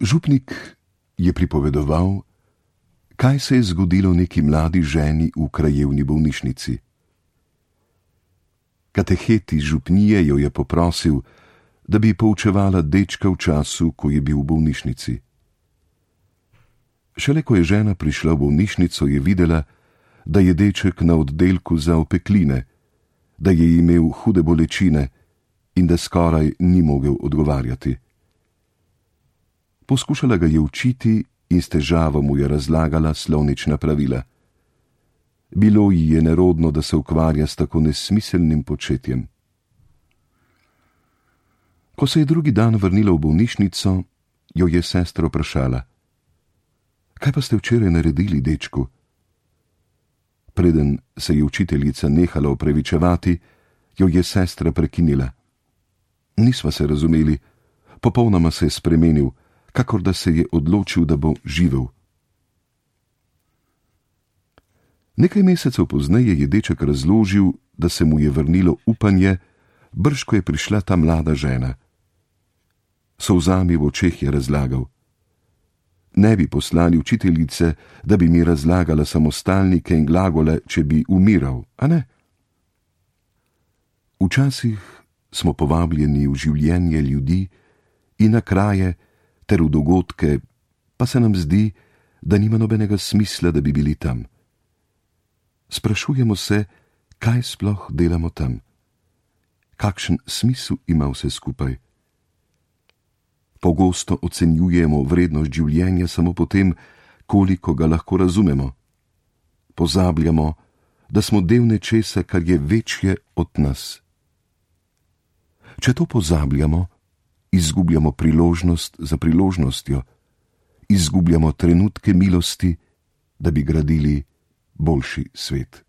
Župnik je pripovedoval, kaj se je zgodilo neki mladi ženi v krajevni bolnišnici. Katehet iz župnije jo je poprosil, da bi poučevala dečka v času, ko je bil v bolnišnici. Šele ko je žena prišla v bolnišnico, je videla, da je deček na oddelku za opekline, da je imel hude bolečine in da skoraj ni mogel odgovarjati. Poskušala ga je učiti in s težavo mu je razlagala slovnična pravila. Bilo ji je nerodno, da se ukvarja s tako nesmiselnim početjem. Ko se je drugi dan vrnila v bolnišnico, jo je sestra vprašala: kaj pa ste včeraj naredili, dečku? Preden se je učiteljica nehala opravičevati, jo je sestra prekinila. Nisva se razumeli, popolnoma se je spremenil, kakor da se je odločil, da bo živel. Nekaj mesecev pozneje je deček razložil, da se mu je vrnilo upanje, brž ko je prišla ta mlada žena. Solzami v očeh je razlagal: ne bi poslali učiteljice, da bi mi razlagala samostalnike in glagole, če bi umiral, a ne? Včasih smo povabljeni v življenje ljudi in na kraje ter v dogodke, pa se nam zdi, da nima nobenega smisla, da bi bili tam. Sprašujemo se, kaj sploh delamo tam. Kakšen smisel ima vse skupaj? Pogosto ocenjujemo vrednost življenja samo po tem, koliko ga lahko razumemo. Pozabljamo, da smo del nečesa, kar je večje od nas. Če to pozabljamo, izgubljamo priložnost za priložnostjo, izgubljamo trenutke milosti, da bi gradili boljši svet.